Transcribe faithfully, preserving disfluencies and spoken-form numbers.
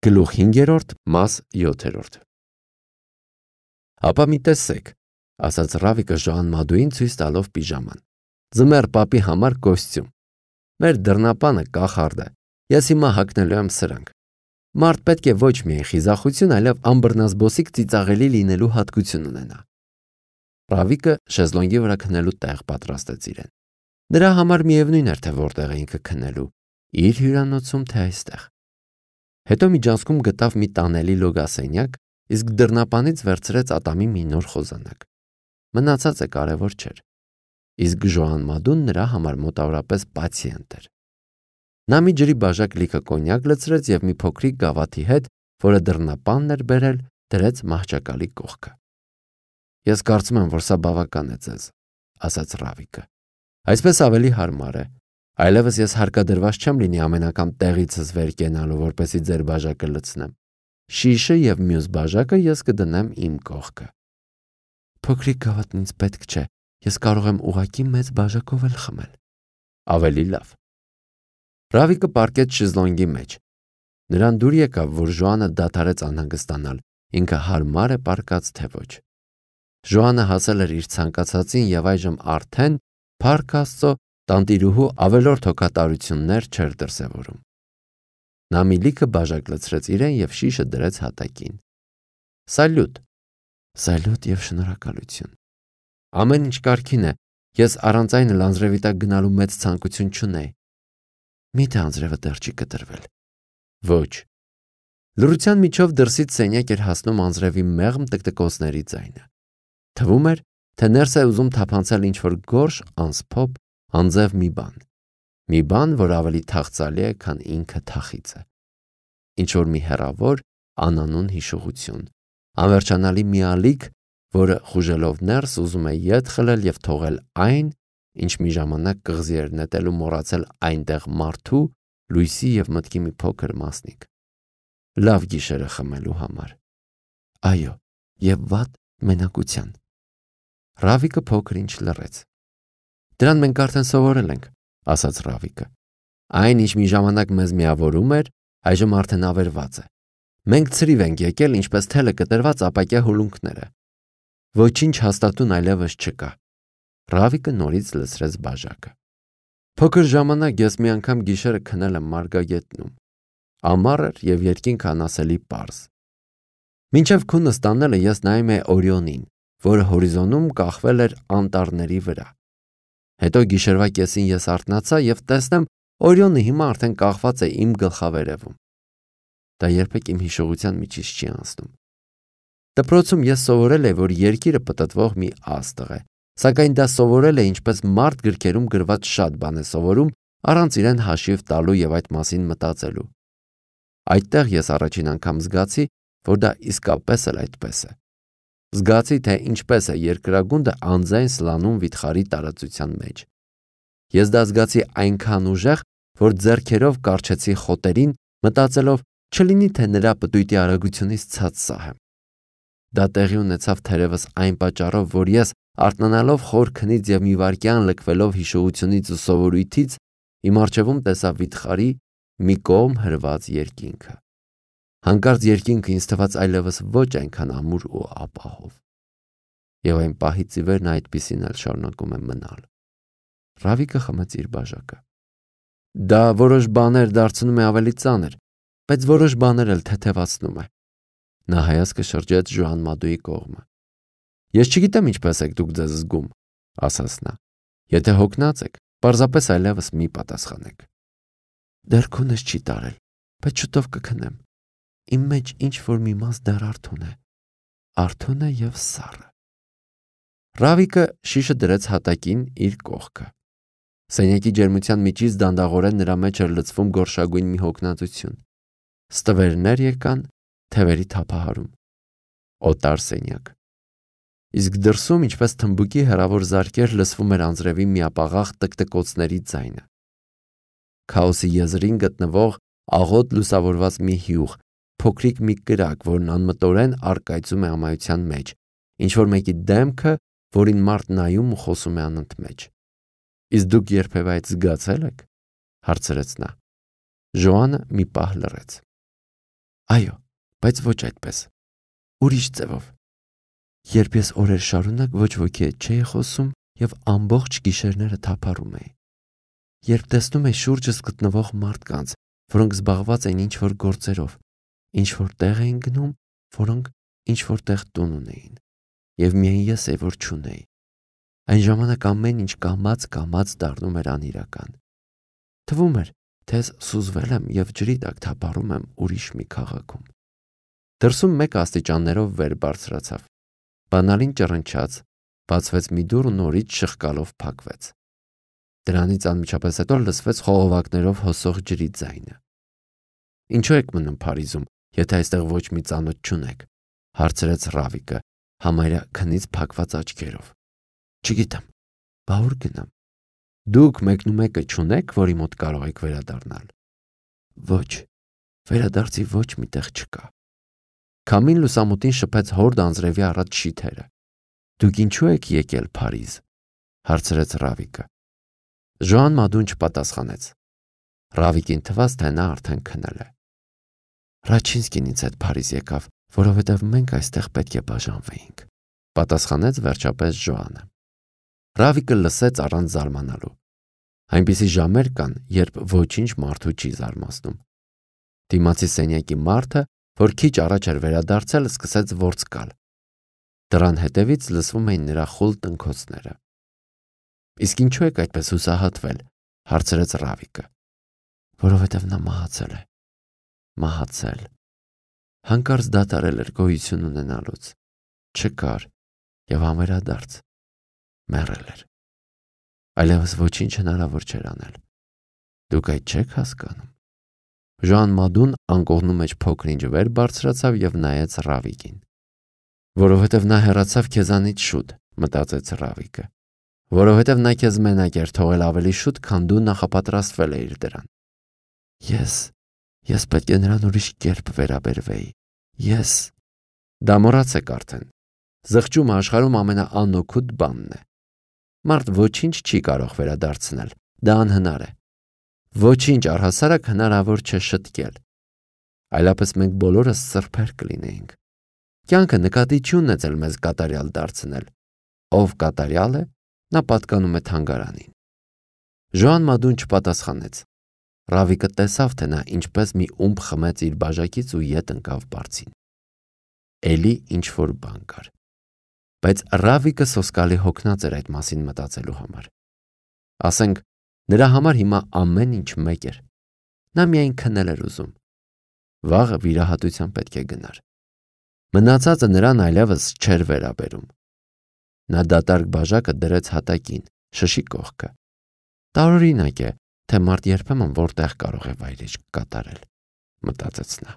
Գլուխ հինգերորդ, մաս յոթերորդ։ Ապա մի տեսեք, ասաց Ռավիկը Ժոան Մադուին ցույց տալով պիժաման։ Ձմեռ պապի համար կոստյում։ Մեր դռնապանը կախարդ է։ Ես հիմա հագնելու եմ սրանք։ Մարդ պետք է ոչ միայն խիզախություն, այլև ամբռնազբոսիկ ծիծաղելի լինելու հատկություն ունենա։ Ռավիկը շեզլոնգի վրա քնելու տեղ պատրաստեց իրեն։ Նրա համար միևնույն էր, թե որտեղ է ինքը քնելու, իր հյուրանոցում, թե այստեղ։ Հետո միջանցքում գտավ մի տանելի լոգասենյակ, իսկ դռնապանից վերցրեց ատամի մի նոր խոզանակ։ Մնացածը կարևոր չէր։ Իսկ Ժոան Մադուն նրա համար մոտավորապես պացիենտ էր։ Նա մի ջրի բաժակ լիքը կոնյակ լցրեց եւ մի փոքրիկ գավաթի հետ, որը դռնապանն էր բերել, դրեց մահճակալի կողքը։ Ես կարծում եմ, որ սա բավական է ձեզ, ասաց Ռավիկը։ Այսպես ավելի հարմար է։ Այլևս ես հարկադրված չեմ լինի ամեն անգամ տեղիցս վեր կենալու, որպեսզի ձեր բաժակը լցնեմ։ Շիշը եւ մյուս բաժակը ես կդնեմ իմ կողքը։ Փոքրիկ գավաթն ինձ պետք չէ։ Ես կարող եմ ուղակի մեծ բաժակով էլ խմել։ Ավելի լավ։ Ռավիկը պառկեց շեզլոնգի մեջ։ Նրան դուր եկավ, որ Ժոանը դադարեց անհանգստանալ, ինքը հարմար է պառկած թե ոչ։ Ժոանը հասել էր իր ցանկացածին եւ այժմ արդեն փառք Աստծո տանտիրուհու ավելորդ հոգատարություններ չէր դրսևորում։ Նա մի լիքը բաժակ լցրեց իրեն եւ շիշը դրեց հատակին։ Սալյուտ։ Սալյուտ եւ շնորհակալություն։ Ամեն ինչ կարգին է։ Ես առանց այն լանձրևի տակ գնալու մեծ ցանկություն չունեի։ Միթե անձրևը դեռ չի կտրվել։ Ոչ։ Լռության միջով դրսից սենյակ էր հասնում անձրևի մեղմ տկտկոցների ձայնը։ Թվում էր, թե ներս է ուզում թափանցել ինչ-որ գորշ, անսփոփ, անձև մի բան։ Մի բան, որ ավելի թախծալի է, քան ինքը թախիծը։ Ինչ-որ մի հեռավոր, անանուն հիշողություն։ Անվերջանալի մի ալիք, որը խուժելով ներս ուզում է ետ խլել եւ թողել այն, ինչ մի ժամանակ կղզի էր նետել ու մոռացել այնտեղ մարդու, լույսի եւ մտքի մի փոքր մասնիկ։ Լավ գիշերը խմելու համար։ Այո, եւ վատ մենակության։ Ռավիկը փոքր ինչ լռեց։ Դրան մենք արդեն սովորել ենք, ասաց Ռավիկը։ Այն, ինչ մի ժամանակ մեզ միավորում էր, այժմ արդեն ավերված է։ Մենք ցրիվ ենք եկել, ինչպես թելը կտրված ապակյա հուլունքները։ Ոչինչ հաստատուն այլևս չկա։ Ռավիկը նորից լցրեց բաժակը։ Փոքր ժամանակ ես մի անգամ գիշերը քնել եմ մարգագետնում։ Ամառ էր եւ երկինքը անասելի պարզ։ Մինչև քունը ստանելը ես նայում էի Օրիոնին, որը հորիզոնում կախվել էր անտառների վրա։ Հետո գիշերվա կեսին ես արթնացա եւ տեսնեմ Օրիոնը հիմա արդեն կախված է իմ գլխավերևում։ Դա երբեք իմ հիշողության միջից չի անցնում։ Դպրոցում ես սովորել եմ, որ երկիրը պտտվող մի աստղ է, սակայն դա սովորել է ինչպես մարդ գրքերում գրված շատ բան է սովորում, առանց իրեն հաշիվ տալու եւ այդ մասին մտածելու։ Այդտեղ ես առաջին անգամ զգացի, որ դա իսկապես էլ այդպես է։ Զգացի, թե ինչպես է երկրագունդը անձայն սլանում վիթխարի տարածության մեջ։ Ես դա զգացի այնքան ուժեղ, որ ձեռքերով կարճեցի խոտերին, մտածելով, չլինի թե նրա պտույտի արագությունից ցած սահեմ։ Դա տեղի ունեցավ թերևս այն պատճառով, որ ես արթնանալով խոր քնից եւ մի վայրկյան լքվելով հիշողությունից ու սովորույթից, իմ առջևում տեսա վիթխարի մի կողմ հրված երկինքը։ Հանկարծ երկինքը ինձ թվաց այլևս ոչ այնքան ամուր ու ապահով։ Եվ այն պահից ի վեր նա այդպիսին էլ շարունակում է մնալ։ Ռավիկը խմեց իր բաժակը։ Դա որոշ բաներ դարձնում է ավելի ծանր, բայց որոշ բաներ էլ թեթևացնում է։ Նա հայացքը շրջեց Ժոան Մադուի կողմը։ Ես չգիտեմ ինչպես եք դուք ձեզ զգում, ասաց նա։ Եթե հոգնած եք, պարզապես այլևս մի պատասխանեք։ Դեռ քունս չի տարել, բայց շուտով կքնեմ։ Իմ մեջ ինչ որ մի մաս դեռ արթուն է, արթուն է եւ սառը։ Ռավիկը շիշը դրեց հատակին իր կողքը։ Սենյակի ջերմության միջից դանդաղորեն նրա մեջ էր լցվում գորշագույն մի հոգնածություն։ Ստվերներ եկան, թևերի թափահարում։ Օտար սենյակ։ Իսկ դրսում, ինչպես թմբուկի հեռավոր զարկեր, լսվում էր անձրևի միապաղաղ տկտկոցների ձայնը։ Քաոսի եզրին գտնվող աղոտ լուսավորված մի հյուղ, փոքրիկ մի կրակ, որն անմտորեն առկայծում է ամայության մեջ, ինչ որ մեկի դեմքը, որին մարդ նայում ու խոսում է անընդմեջ։ Իսկ դուք երբևէ այդ զգացել եք, հարցրեց նա։ Ժոանը մի պահ լռեց։ Այո, բայց ոչ այդպես։ Ուրիշ ձևով։ Երբ ես օրեր շարունակ ոչ ոքի հետ չէի խոսում եւ ամբողջ գիշերները թափառում էի։ Երբ տեսնում էի շուրջս գտնվող մարդկանց, որոնք զբաղված էին ինչ-որ գործերով, ինչ-որ տեղ էին գնում, որոնք ինչ-որ տեղ տուն ունեին, եւ միայն ես էի, որ չունեի։ Այն ժամանակ ամեն ինչ կամաց-կամաց դառնում էր անիրական։ Թվում էր, թե ես սուզվել եմ եւ ջրի տակ թափառում եմ ուրիշ մի քաղաքում։ Դրսում մեկ աստիճաններով վեր բարձրացավ։ Բանալին ճռնչաց, բացվեց մի դուռ ու նորից շղկալով փակվեց։ Դրանից անմիջապես հետո լսվեց խողովակներով հոսող ջրի ձայնը։ Ինչու եք մնում Փարիզում, եթե այստեղ ոչ մի ծանոթ չունեք, հարցրեց Ռավիկը, համարյա քնից փակված աչքերով։ Չգիտեմ, բա ուր գնամ։ Դուք մեկնումեկը չունեք, որի մոտ կարող եք վերադառնալ։ Ոչ, վերադարձի ոչ մի տեղ չկա։ Քամին լուսամուտին շփեց հորդ անձրևի առաջ շիթերը։ Դուք ինչու եք եկել Փարիզ, հարցրեց Ռավիկը։ Ժոան Մադուն չպատասխանեց։ Ռավիկին թվաց, թե նա արդեն քնել է։ Ռաչինսկին ինձ հետ Փարիզ եկավ, որովհետև մենք այստեղ պետք է բաժանվեինք, պատասխանեց վերջապես Ժոանը։ Ռավիկը լսեց առանց զարմանալու։ Այնպիսի ժամեր կան, երբ ոչինչ մարդու չի զարմացնում։ Դիմացի սենյակի մարդը, որ քիչ առաջ էր վերադարձել, սկսեց ворցկալ։ Դրան հետևից լսվում էին նրա խուլ տնքոցները։ Իսկ ինչու եք այդպես հուսահատվել, հարցրեց Ռավիկը։ Որովհետև նա մահացել է։ Մահացել։ Հանկարծ դադարել էր գոյություն ունենալուց։ Չկար եւ համերադարձ մեռել էր։ Այլևս ոչինչ հնարավոր չէր անել։ Դուք այդ չեք հասկանում։ Ժոան Մադուն անկողնու մեջ փոքր-ինչ վեր բարձրացավ եւ նայեց Ռավիկին։ Որովհետև նա հեռացավ քեզանից շուտ, մտածեց Ռավիկը։ Որովհետև նա քեզ մենակ էր թողել ավելի շուտ, քան դու նախապատրաստվել էիր դրան։ Ես, ես պետք է նրան ուրիշ կերպ վերաբերվեի։ Ես։ Դա մոռացեք արդեն։ Զղջումը աշխարհում ամենաանօգուտ բանն է։ Մարդ ոչինչ չի կարող վերադարձնել, դա անհնար է։ Ոչինչ առհասարակ հնարավոր չէ շտկել։ Այլապես մենք բոլորս սրբեր կլինեինք։ Կյանքը նկատի չի ունեցել մեզ կատարյալ դարձնել։ Ով կատարյալ է, նա պատկանում է թանգարանին։ Ժոան Մադուն չպատասխանեց։ Ռավիկը տեսավ, թե նա ինչպես մի ումբ խմեց իր բաժակից ու ետ ընկավ բարձին։ Էլի ինչ-որ բան կար։ Բայց Ռավիկը սոսկալի հոգնած էր այդ մասին մտածելու համար։ Ասենք, նրա համար հիմա ամեն ինչ մեկ էր։ Նա միայն քնել էր ուզում։ Վաղը վիրահատության պետք է գնար։ Մնացածը նրան այլևս չէր վերաբերում։ Նա դատարկ բաժակը դրեց հատակին, շշի կողքը։ Տարօրինակ է, թե մարդ երբեմն որտեղ կարող է վայրեջք կատարել, մտածեց նա։